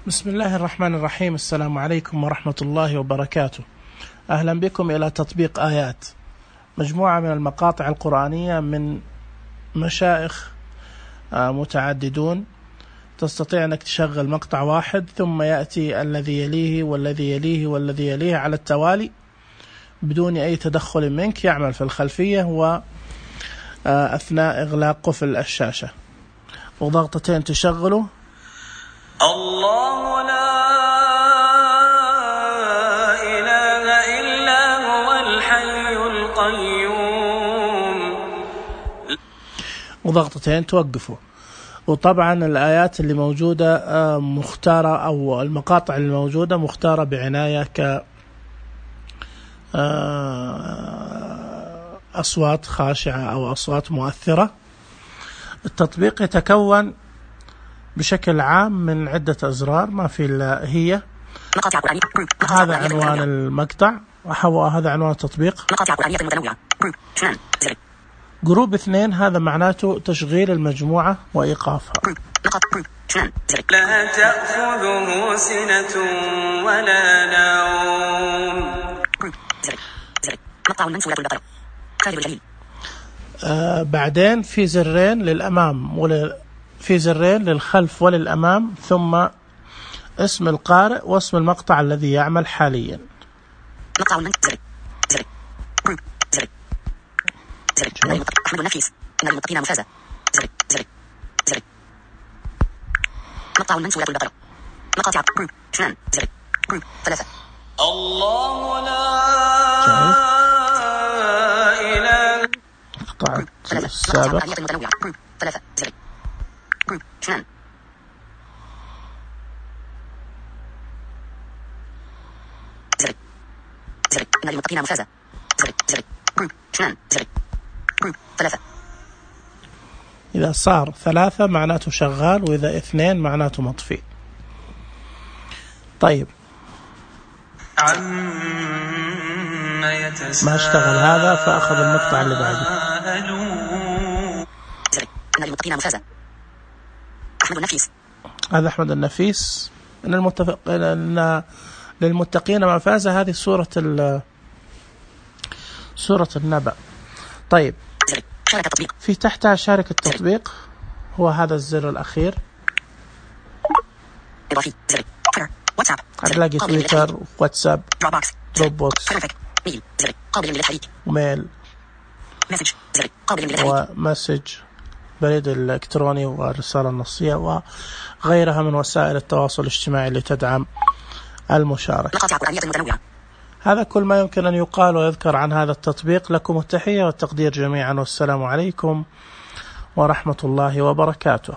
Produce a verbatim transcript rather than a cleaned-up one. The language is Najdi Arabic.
بسم الله الرحمن الرحيم. السلام عليكم ورحمة الله وبركاته. أهلا بكم إلى تطبيق آيات، مجموعة من المقاطع القرآنية من مشايخ متعددون. تستطيع أنك تشغل مقطع واحد ثم يأتي الذي يليه والذي يليه والذي يليه على التوالي بدون أي تدخل منك، يعمل في الخلفية وأثناء إغلاق قفل الشاشة، وضغطتين تشغله. الله لا إله إلا هو الحي القيوم، وضغطتين توقفه. وطبعا الآيات اللي موجودة مختارة، أو المقاطع اللي موجودة مختارة بعناية ك أصوات خاشعة أو أصوات مؤثرة. التطبيق يتكون بشكل عام من عدة أزرار، ما في إلا هي. هذا عنوان المقطع، وهذا عنوان التطبيق. جروب اثنين هذا معناته تشغيل المجموعة وإيقافها. لا تأخذه سنة ولا نوم. آه بعدين في زرين للأمام ول... في زرين للخلف وللأمام، ثم اسم القارئ واسم المقطع الذي يعمل حاليا. مقطع المنزل زر زر زر زر أحمد النفيس إن المتقين مفازة زر زر زر مقطع من سورة البقرة مقاطع اثنان زر ثلاثة. الله لا إله مقطع السابق ثلاثة زر اثنان زر زر إن المتقين مفازة زر زر اثنان زر ثلاثة. إذا صار ثلاثة معناته شغال، وإذا اثنين معناته مطفي. طيب ما اشتغل هذا، فأخذ المقطع اللي بعده. زر إن المتقين مفازة أحمد النفيس. هذا أحمد النفيس. إن المتفق إن للمتقين مفازة، هذه سورة ال سورة النبأ. طيب في تحتها شارك التطبيق، هو هذا الزر الأخير. هتلاقي تويتر، واتساب، دروب بوكس، وميل، ومسج، بريد الإلكتروني، والرسالة النصية، وغيرها من وسائل التواصل الاجتماعي اللي تدعم المشاركة. هذا كل ما يمكن أن يقال ويذكر عن هذا التطبيق. لكم التحية والتقدير جميعا، والسلام عليكم ورحمة الله وبركاته.